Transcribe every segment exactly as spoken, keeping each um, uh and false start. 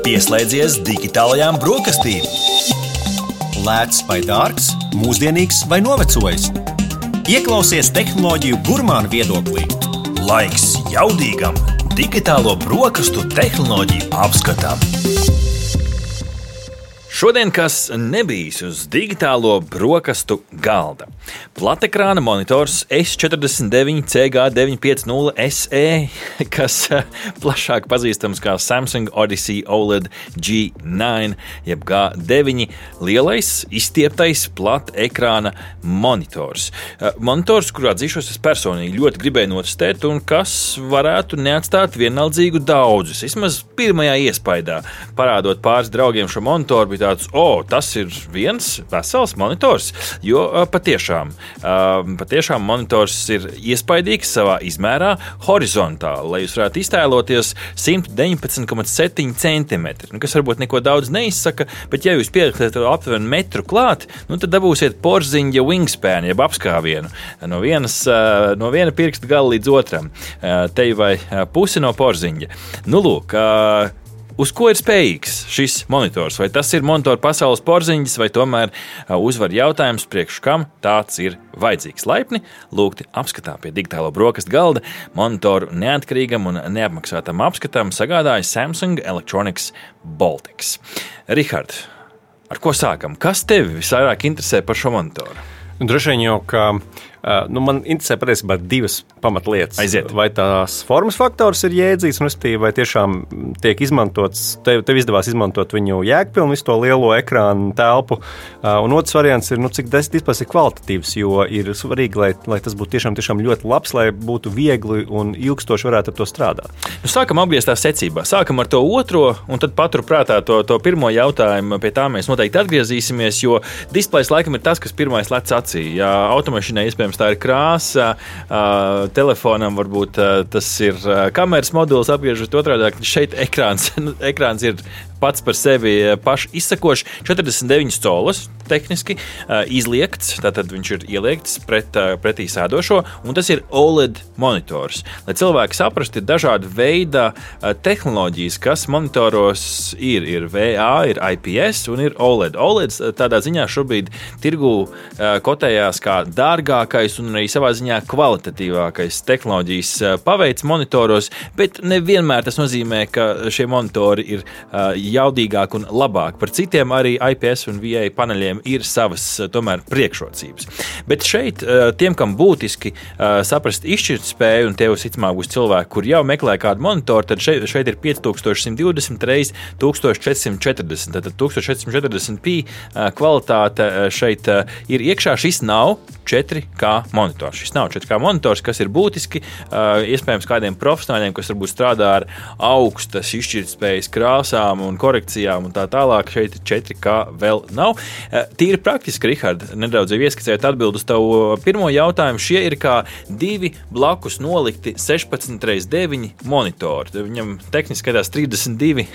Pieslēdzies digitālajām brokastīm. Lēts vai dārgs, mūsdienīgs vai novecojis. Ieklausies tehnoloģiju gurmānu viedoklī. Laiks jaudīgam digitālo brokastu tehnoloģiju apskatam. Šodien kas nebijis uz digitālo brokastu galda. Platekrāna monitors S četrdesmit deviņi C G deviņi pieci nulle S E, kas plašāk pazīstams kā Samsung Odyssey O L E D G deviņi, jeb G deviņi, lielais, izstieptais platekrāna monitors. Monitors, kurā atzīšos es personīgi ļoti gribēju notestēt un kas varētu neatstāt vienaldzīgu daudzus. Vismaz pirmajā iespaidā, parādot pāris draugiem šo monitoru, bija tāds, o, tas ir viens vesels monitors, jo patiešām, patiešām monitors ir iespaidīgs savā izmērā horizontāli, lai jūs varētu iztēloties simt deviņpadsmit komats septiņi centimetri, kas varbūt neko daudz neizsaka, bet ja jūs pieliksiet aptuveni metru klāt, nu tad dabūsiet porziņa wingspan, jeb apskāvienu, no, vienas, no viena pirksta gala līdz otram, te vai pusi no porziņa. Nu, lūk, uz ko ir spējīgs šis monitors? Vai tas ir monitora pasaules porziņas, vai tomēr uzvar jautājums, priekš kam tāds ir vajadzīgs? Laipni lūgti apskatā pie digitālo brokastu galda monitoru neatkarīgam un neapmaksātam apskatam sagādāja Samsung Electronics Baltics. Rihard, ar ko sākam? Kas tevi visvairāk interesē par šo monitoru? Droši vien jau, ka nu, man interesē patiesībā divas pamatlietas. Aiziet. Vai tās formas faktors ir jēdzīgs, un vai tiešām tiek izmantots, tev, tev izdevās izmantot viņu jēgpilnu, visu to lielo ekrānu telpu. Un otrs variants ir, nu, cik displays ir kvalitatīvs, jo ir svarīgi, lai, lai tas būtu tiešām, tiešām ļoti labs, lai būtu viegli un ilgstoši varētu ar to strādāt. Nu, sākam apgrieztā secībā. Sākam ar to otro, un tad paturprātā to, to pirmo jautājumu. Pie tā mēs noteikti atgriezīsimies, jo displays laikam ir tas, kas pirmais lec acī. Ja automašīnai iespējams tā ir krāsa, telefonam varbūt tas ir kameras moduls, apgriežot otrādāk, šeit ekrāns, ekrāns ir pats par sevi paši izsakoši, četrdesmit deviņas colas tehniski izliekts, tātad viņš ir ieliekts pret, pretī sēdošo, un tas ir O L E D monitors. Lai cilvēki saprastu, ir dažādi veida tehnoloģijas, kas monitoros ir, ir V A, ir I P S un ir O L E D. O L E D tādā ziņā šobrīd tirgū kotējās kā dārgākais un arī savā ziņā kvalitatīvākais tehnoloģijas paveids monitoros, bet nevienmēr tas nozīmē, ka šie monitori ir jaudīgāk un labāk. Par citiem arī I P S un V A paneļiem ir savas tomēr priekšrocības. Bet šeit tiem, kam būtiski saprast izšķirt spēju, un tev sicamāk būs cilvēki, kur jau meklē kādu monitoru, tad šeit, šeit ir pieci tūkstoši simt divdesmit reiz tūkstoš četri simt četrdesmit. Tātad tūkstoš četri simt četrdesmit p kvalitāte šeit ir iekšā. Šis nav četri K monitors. Šis nav četri K monitors, kas ir būtiski iespējams kādiem profesionāļiem, kas varbūt strādā ar augstas izšķirtspējas krāsām un korekcijām un tā tālāk. Šeit četri K vēl nav. Tīri praktiski, Rihard, nedaudz jau ieskicējot atbildu uz tavu pirmo jautājumu. Šie ir kā divi blakus nolikti sešpadsmit reiz deviņi monitori. Viņam tehniski skatās trīsdesmit divi,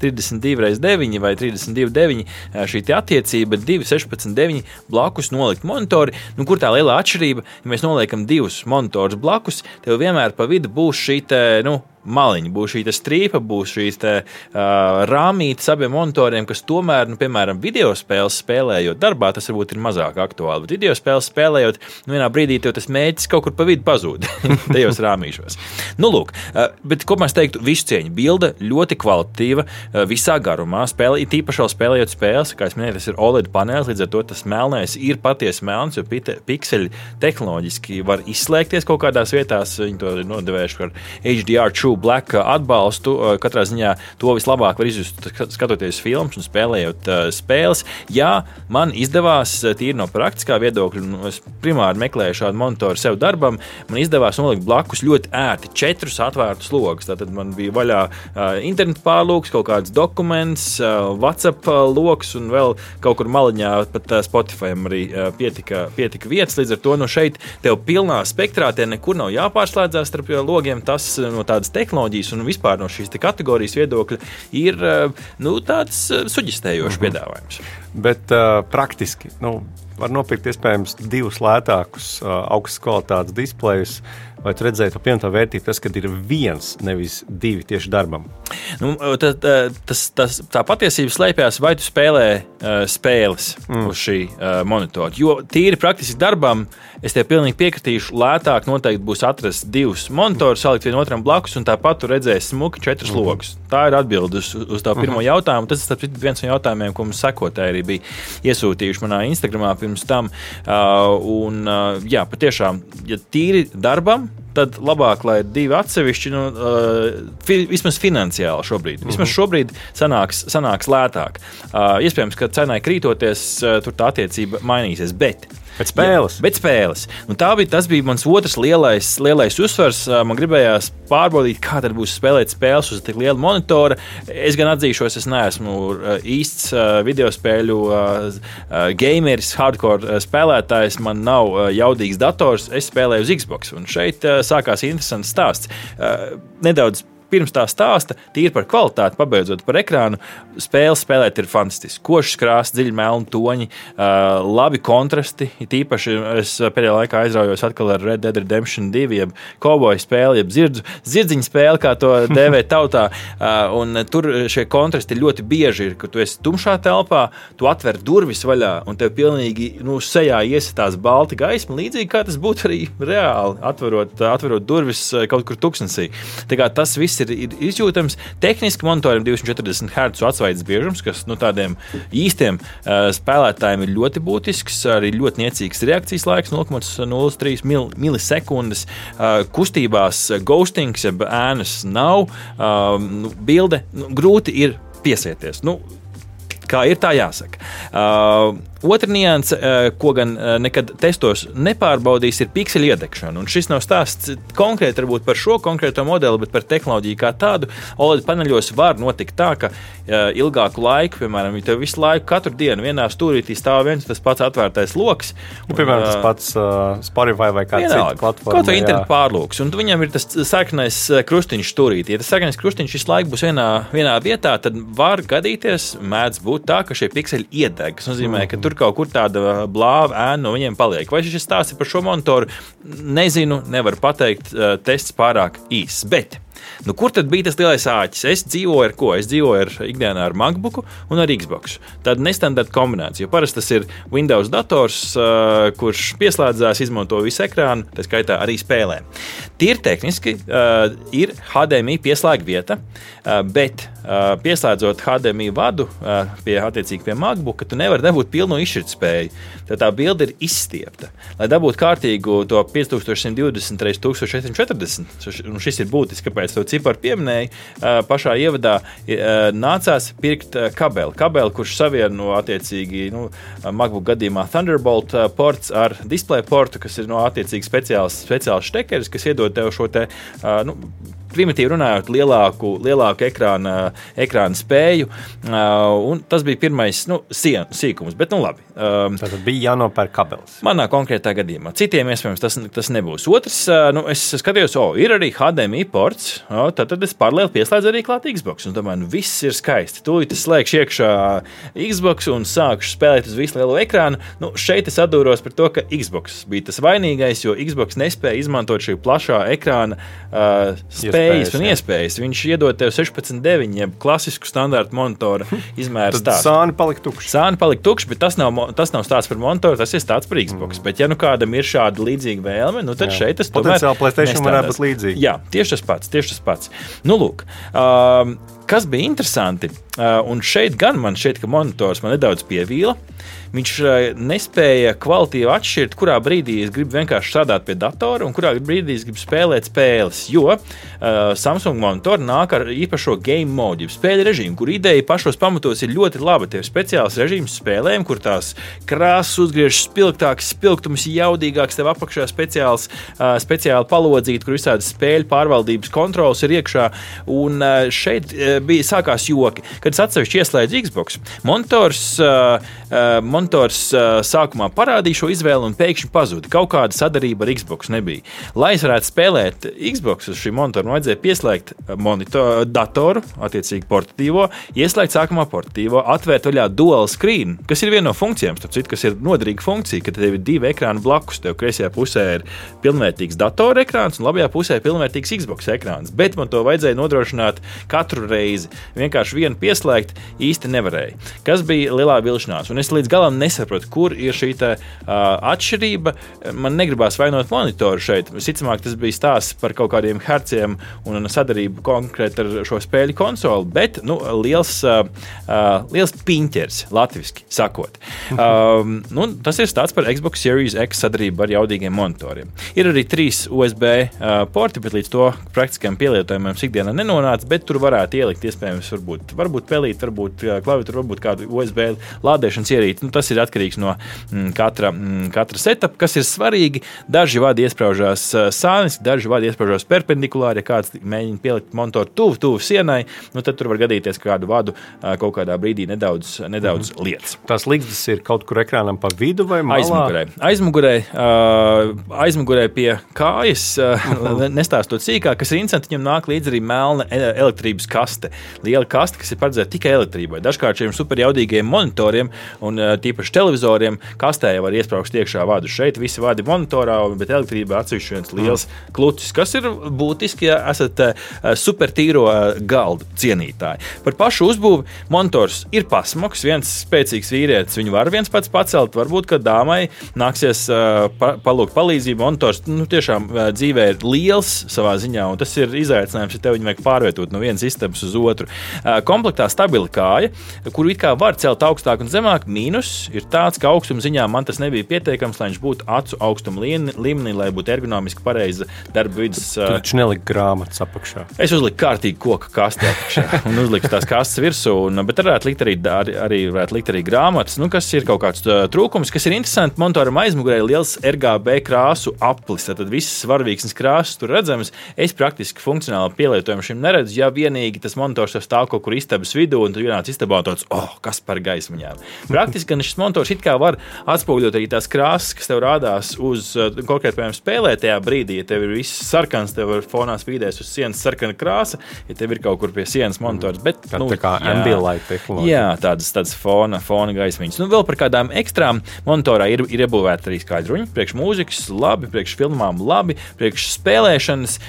trīsdesmit divi reiz deviņi vai trīsdesmit divi deviņi šī te attiecība, divi sešpadsmit deviņi blakus nolikt monitori. Nu, kur tā lielā atšķirība? Ja mēs noliekam divus monitorus blakus, tev vienmēr pa vidu būs šī te, nu, maliņa, būs šī strīpa, būs šīs te, uh, rāmītes abiem monitoriem, kas tomēr, nu, piemēram, video spēles spēlējot darbā, tas varbūt ir mazāk aktuāli, bet video spēles spēlējot, nu, vienā brīdī tev tas mēģis kaut kur pa vidu pazūd tajos rāmīšos. Nu, lūk, uh, bet ko mēs teiktu, visu cieņu, bilde ļoti kvalitatīva, uh, visā garumā, spēle, tīpaši vēl spēlējot spēles, kā es minēju, tas ir O L E D panelis, līdz ar to tas melnais ir patiesi melns, jo pikseļi tehnoloģiski var izslēgties kaut kādās vietās, viņi to ir nodevējuši par H D R True Black atbalstu, katrā ziņā to vislabāk var izjust skatoties filmas un spēlējot uh, spēles. Jā, man izdevās tīri no praktiskā viedokļa, un es primāri meklēju šādu monitoru sev darbam, man izdevās nolikt blakus ļoti ērti četrus atvērtus logus. Tātad man bija vaļā uh, internetu pārlūks, kaut kāds dokuments, uh, WhatsApp uh, loks un vēl kaut kur maliņā pat uh, Spotifyam arī uh, pietika, pietika vietas. Līdz ar to no šeit tev pilnā spektrā te nekur nav jāpārslēdzās starp logiem. Tas no tādas tehnoloģijas un vispār no šīs kategorijas viedokļa ir, nu, tāds suģistējošs mm-hmm. piedāvājums. Bet uh, praktiski, nu, var nopirkt iespējams divus lētākus uh, augstas kvalitātes displejus, vai tu redzēji to pievienoto vērtību, tas, kad ir viens, nevis divi tieši darbam? Nu, tā, tas, tas, tā patiesība slēpjas, vai tu spēlē uh, spēles mm. uz šī uh, monitora. Jo tīri praktiski darbam, es tev pilnīgi piekritīšu, lētāk noteikti būs atrast divus monitorus, salikt vienotram blakus, un tāpat tu redzēsi smuki četras mm. logus. Tā ir atbilde uz, uz tā pirmo mm. jautājumu. Tas ir viens no jautājumiem, ko mums sekotāji arī bija iesūtījuši manā Instagramā pirms tam. Uh, un, uh, jā, patiešām, ja tīri darbam, tad labāk, lai divi atsevišķi, nu, uh, fi, vismaz finansiāli šobrīd. Vismaz šobrīd sanāks, sanāks lētāk. Uh, iespējams, ka cenai krītoties, uh, tur tā attiecība mainīsies, bet Bet spēles. Jā, bet spēles. Nu, tā bija, tas bija mans otrs lielais, lielais uzsvars. Man gribējās pārbaudīt, kā tad būs spēlēt spēles uz tik liela monitora. Es gan atzīšos, es neesmu īsts video spēļu gameris, hardcore spēlētājs. Man nav jaudīgs dators, es spēlēju uz Xbox. Un šeit sākās interesants stāsts. Nedaudz pirms tā stāsta, tīri par kvalitāti, pabeidzot par ekrānu, spēles spēlēt ir fantastiski. Košs krāsts, dziļi melni toņi, uh, labi kontrasti. Tīpaši es pēdējā laikā aizraujos atkal ar Red Dead Redemption divi, jeb kauboju spēli, jeb zirdzu, zirdziņu spēli, kā to dēvē tautā. Uh, un tur šie kontrasti ļoti bieži ir, ka tu esi tumšā telpā, tu atver durvis vaļā, un tev pilnīgi nu, sejā iesitās balti gaisma, līdzīgi kā tas būtu arī reāli, atverot, atverot durvis kaut kur tuksnesī. Tā kā tas viss ir, ir izjūtams. Tehniski monitoram divsimt četrdesmit hercu atsvaidzes biežums, kas nu, tādiem īstiem uh, spēlētājiem ir ļoti būtisks, arī ļoti niecīgs reakcijas laiks, nulle komats nulle trīs milisekundes. Uh, kustībās ghostings, jeb ēnas nav. Uh, nu, bilde nu, grūti ir piesieties. Nu, kā ir, tā jāsaka. Uh, Otra nianse, ko gan nekad testos nepārbaudīs, ir pikseļu iedegšana. Un šis nav stāsts konkrēti varbūt par šo konkrēto modeli, bet par tehnoloģiju kā tādu. O L E D paneļos var notikt tā, ka ilgāku laiku, piemēram, ja tev visu laiku, katru dienu vienā stūrītī stāv viens tas pats atvērtais loks. Un, piemēram, tas pats uh, Spotify vai kāda cita platforma. Kaut vai internetu pārlūks. Un viņam ir tas sarkanais krustiņš stūrītī. Ja tas sarkanais krustiņš visu laiku būs vienā, vienā vietā, tad var gadīties, mēdz būt tā, ka šie pikseļi iedeg. Tas nozīmē, ka tur kaut kur tāda blāva ēna no viņiem paliek. Vai šis stāsts ir par šo monitoru? Nezinu, nevaru pateikt, tests pārāk īss. Bet nu, kur tad bija tas lielais āķis? Es dzīvoju ar ko? Es dzīvoju ar ikdienā ar MacBooku un ar Xbox. Tāda nestandarta kombinācija. Parasti tas ir Windows dators, uh, kurš pieslēdzās, izmanto visu ekrānu, tā skaitā arī spēlē. Tīri tehniski uh, ir H D M I pieslēga vieta, uh, bet uh, pieslēdzot H D M I vadu uh, pie, attiecīgi pie MacBooka, tu nevari dabūt pilnu izšķirtspēju. Tad tā bilde ir izstiepta. Lai dabūtu kārtīgu to pieci tūkstoši simt divdesmit pret tūkstoš četri simt četrdesmit, un šis ir būtiski, kāpēc to ciparu pieminēju, pašā ievadā nācās pirkt kabeli. Kabeli, kurš savieno attiecīgi nu, MacBook gadījumā Thunderbolt ports ar display portu, kas ir no attiecīgi speciāls, speciāls štekeris, kas iedod tev šo te, nu, primitīvi runājot, lielāku, lielāku ekrāna, ekrāna spēju. Uh, un tas bija pirmais nu, sien, sīkums, bet nu labi. Um, Tātad bija jānopērk kabelis. Manā konkrētā gadījumā. Citiem iespējams tas, tas nebūs. Otrs, uh, nu, es skatījos, o, ir arī H D M I ports, o, tad, tad es paralēli pieslēdzu arī klāt Xbox. Un domāju, nu viss ir skaisti. Tūlīt es slēgšu iekšā Xbox un sākšu spēlēt uz visu lielo ekrānu. Nu, šeit es atdūros par to, ka Xbox bija tas vainīgais, jo Xbox nespēja izmantot šī plašā ekrāna uh, spēju. Iespējas un iespējas. Viņš iedod tev sešpadsmit deviņi, jeb klasisku standārtu monitora izmēru stāstu. Sāni palika tukši. Sāni palika tukši, bet tas nav, tas nav stāsts par monitoru, tas ir stāsts par Xbox. Mm. Bet ja nu kādam ir šāda līdzīga vēlme, nu tad jā. Šeit tas tomēr potenciāli PlayStation varētu būt līdzīgi. Jā, tieši tas pats, tieši tas pats. Nu, lūk, um, kas bija interesanti, uh, un šeit gan man šķiet, ka monitors man nedaudz pievīla. Viņš nespēja kvalitīvi atšķirt, kurā brīdī es gribu vienkārši strādāt pie datora un kurā brīdī es gribu spēlēt spēles, jo uh, Samsung monitori nāk ar īpašo game mode, spēļu režīmu, kur ideja pašos pamatos ir ļoti laba. Tev ir speciāls režīms spēlēm, kur tās krāsas uzgriežas spilgtāks, spilgtums jaudīgāks, tev apakšā speciāls, uh, speciāli palodzīti, kur visādas spēļu pārvaldības kontrols ir iekšā, un uh, šeit uh, bija sākās joki. Kad es atsevišķi ieslēdzu Xbox, monitors, uh, uh, monitors uh, sākumā parādīja šo izvēli un pēkšņi pazuda. Kaut kāda sadarība ar Xbox nebija. Lai es varētu spēlēt Xbox uz šī monitora, man vajadzēja pieslēgt monitor, datoru, attiecīgi portatīvo, ieslēgt sākumā portatīvo, atvērt vaļā dual screen, kas ir viena no funkcijām, starp citu, kas ir noderīga funkcija, ka tev ir divi ekrāni blakus. Tev kreisajā pusē ir pilnvērtīgs datora ekrāns un labajā pusē ir pilnvērtīgs Xbox ekrāns. Bet man to vajadzēja nodrošināt katru reizi. Vienkārši vienu pieslēgt īsti nevarēja. Kas bija lielā vilšanās? Un es līdz galam nesaprotu, kur ir šī tā, uh, atšķirība. Man negribās vainot monitoru šeit. Visticamāk, tas bija stāsts par kaut kādiem herciem un sadarību konkrēti ar šo spēļu konsoli, bet nu, liels, uh, uh, liels piņķers, latviski sakot. Um, nu, tas ir stāsts par Xbox Series X sadarību ar jaudīgiem monitoriem. Ir arī trīs U S B uh, porti, bet līdz to praktiskajam pielietojumam ikdienā nenonāca, bet tur varētu ielikt iespējams varbūt, varbūt pelīt, varbūt klaviatūru, varbūt kādu U S B lādēšanas ierīci. Nu, tas ir atkarīgs no mm, katra, mm, katra setup, kas ir svarīgi. Daži vadi iespraužās uh, sāniski, daži vadi iespraužās perpendikulāri. Ja kāds mēģina pielikt monitoru tuvu, tuvu sienai, nu, tad tur var gadīties, ka kādu vadu uh, kaut kādā brīdī nedaudz, nedaudz mm. lietas. Tās ligzdas ir kaut kur ekrānam pa vidu vai malā? Aizmugurē. Aizmugurē, uh, aizmugurē pie kājas, uh, mm. nestāstot sīkāk, kas ir interesanti, viņam nāk līdz arī melna elektrības kaste. Liela kaste, kas ir paredzēta tikai elektrībai. Dažkārt šiem superjaudīgiem monitoriem un uh, tīpaši televizoriem kastē var iespraukt iekšā vadu. Šeit visi vadi monitorā, bet elektrība atsevišķi viens liels mm. klucis, kas ir būtiski, ja esat uh, supertīro uh, galdu cienītāji. Par pašu uzbūvi monitors ir pasmoks, viens spēcīgs vīrietis, viņu var viens pats pacelt, varbūt, ka dāmai nāksies uh, pa, palūgt palīdzību. Monitors nu, tiešām uh, dzīvē ir liels savā ziņā, un tas ir izaicinājums, ja tev viņu vajag pārvietot no vienas istabas uz otru. Uh, komplektā stabila kāja, kuru it kā var celt augstāk un zemāk, mīnus ir tāds, ka augstuma ziņā man tas nebija pietiekams, lai viņš būtu acu augstuma līmenī, lai būtu ergonomiski pareiza darba vidas. Uh, tu taču nelika grāmatas apakšā. Es uzliku kārtīgi koka kasti apakšā un uzliku tās kastes virsū, un, bet varētu likt arī, arī, arī, varētu likt arī grāmatas, nu, kas ir kaut kāds uh, trūkums, kas ir interesanti. Monitoram aizmugurē ir liels R G B krāsu aplis, tad visas svarvīksnes krāsas tur redzamas. Es praktiski funkcionāli pielietojumu šim neredzu, ja vienīgi tas monitors stāv kaut kur istabas vidū, un tu vienāc istabā un tāds, oh, kas par gaismiņām. Praktiski gan šis monitors it kā var atspoguļot arī tās krāsas, kas tev rādās uz konkrēti, piemēram, spēlē tajā brīdī, ja tev ir viss sarkans, tev ir fonā spīdēs uz sienas sarkana krāsa, ja tev ir kaut kur pie sienas monitors, bet, tā, nu, tā kā ambient light tehnoloģija. Jā, tādas, tādas fona, fona gaismiņas. Nu, vēl par kādām ekstrām monitorā ir, ir iebūvēta arī skaidruņi, priekš mūzikas labi, priekš filmām labi, priekš spēlēšanas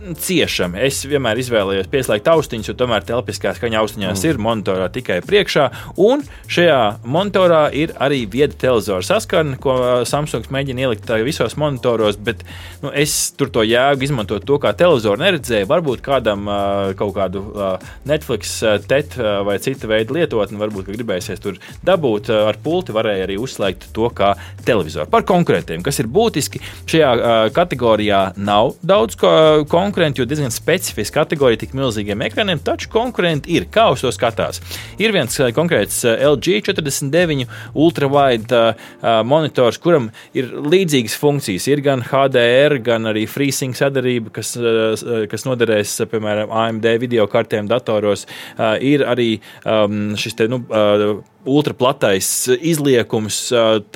ciešami. Es vienmēr izvēlējos pieslēgt austiņas, jo tomēr telpiskā skaņa austiņās mm. ir monitorā tikai priekšā, un šajā monitorā ir arī vieda televizora saskarne, ko Samsungs mēģina ielikt visos monitoros, bet nu, es tur to jēgu izmantot to, kā televizoru neredzēju. Varbūt kādam uh, kaut kādu uh, Netflix, uh, T E T uh, vai cita veida lietotni, varbūt, ka gribēsies tur dabūt uh, ar pulti, varēja arī uzslēgt to kā televizoru. Par konkurentiem, kas ir būtiski, šajā uh, kategorijā nav daudz ko, konkurenti, jo diezgan specifiska kategorija tik milzīgiem ekraniem, taču konkurenti ir. Kā uz to skatās? Ir viens konkrēts L G četrdesmit deviņi ultrawide uh, monitors, kuram ir līdzīgas funkcijas. Ir gan H D R, gan arī FreeSync sadarība, kas, uh, kas noderēs, piemēram, A M D video kartēm datoros. Uh, ir arī um, šis te, nu, uh, ultraplatais izliekums,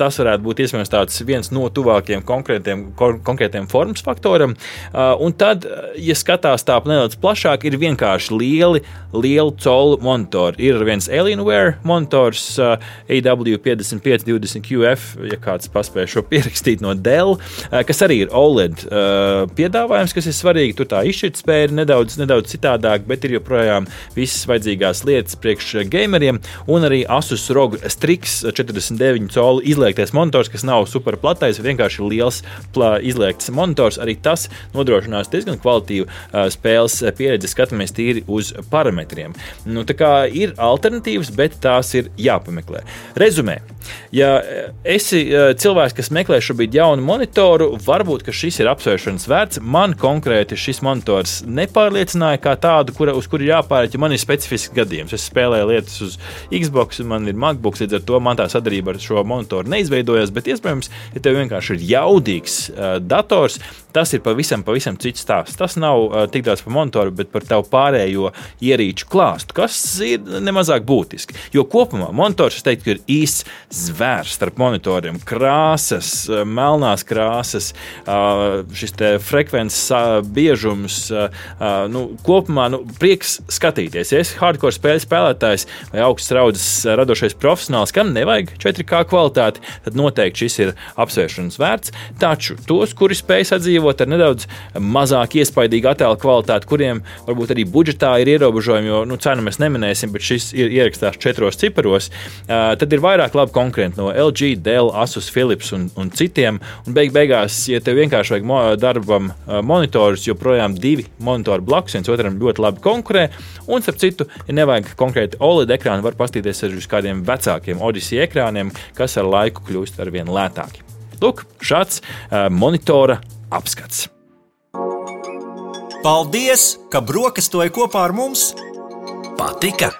tas varētu būt iespējams tāds viens no tuvākiem konkrētiem, konkrētiem formas faktoram. Un tad, ja skatās tā nedaudz plašāk, ir vienkārši lieli, lielu colu monitori. Ir viens Alienware monitors A W piecdesmit pieci divdesmit Q F, ja kāds paspēja šo pierakstīt no Dell, kas arī ir O L E D piedāvājums, kas ir svarīgi. Tur tā izšķirtspēja ir nedaudz, nedaudz citādāk, bet ir joprojām visas vajadzīgās lietas priekš gameriem, un arī Asus R O G Strix četrdesmit deviņi colu izliektais monitors, kas nav super platais, vienkārši liels plā, izliekts monitors. Arī tas nodrošinās diezgan kvalitīvu uh, spēles pieredzi, skatāmies tīri uz parametriem. Nu, tā kā ir alternatīvas, bet tās ir jāpameklē. Rezumē. Ja esi uh, cilvēks, kas meklē šobrīd jaunu monitoru, varbūt, ka šis ir apsvēršanas vērts. Man konkrēti šis monitors nepārliecināja kā tādu, kura, uz kuru jāpāriet, ja man ir specifisks gadījums. Es spēlēju lietas uz Xbox, man ir MacBooks, līdz ar to man tā sadarbība ar šo monitoru neizveidojas, bet iespējams, ja tev vienkārši ir jaudīgs uh, dators, tas ir pavisam, pavisam cits stāsts. Tas nav uh, tik daudz par monitoru, bet par tavu pārējo ierīču klāstu, kas ir nemazāk būtiski. Jo kopumā monitors, es teiktu, ir īsts zvērs starp monitoriem. Krāsas, melnās krāsas, uh, šis te frekvences uh, biežums, uh, uh, nu, kopumā nu, prieks skatīties. Ja esi hardcore spēļu spēlētājs vai augsts raudzes radošais profesionāls, kam nevajag četri K kvalitāti, tad noteikti šis ir apsvēršanas vērts. Taču tos, kuri spēj sadzīvot ar nedaudz mazāk iespaidīgu attēlu kvalitāti, kuriem varbūt arī budžetā ir ierobežojumi, jo nu, cenu mēs neminēsim, bet šis ir ierakstās četros ciparos, uh, tad ir vairāk labi konkurenti no L G, Dell, Asus, Philips un, un citiem. Un beig beigās, ja tev vienkārši vajag mo- darbam uh, monitorus, joprojām divi monitori blakus, viens otram ļoti labi konkurē. Un, starp citu, ja nevajag konkrēti O L E D ekrānu, var pastīties arī uz kādiem vecākiem Odyssey ekrāniem, kas ar laiku kļūst ar vien lētāki. Lūk, šāds uh, monitora apskats. Paldies, ka brokastoji kopā ar mums! Patika?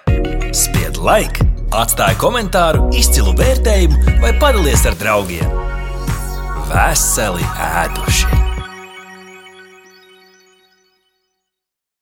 Spied like, atstāj komentāru, izcilu vērtējumu vai padalies ar draugiem. Veseli ēduši!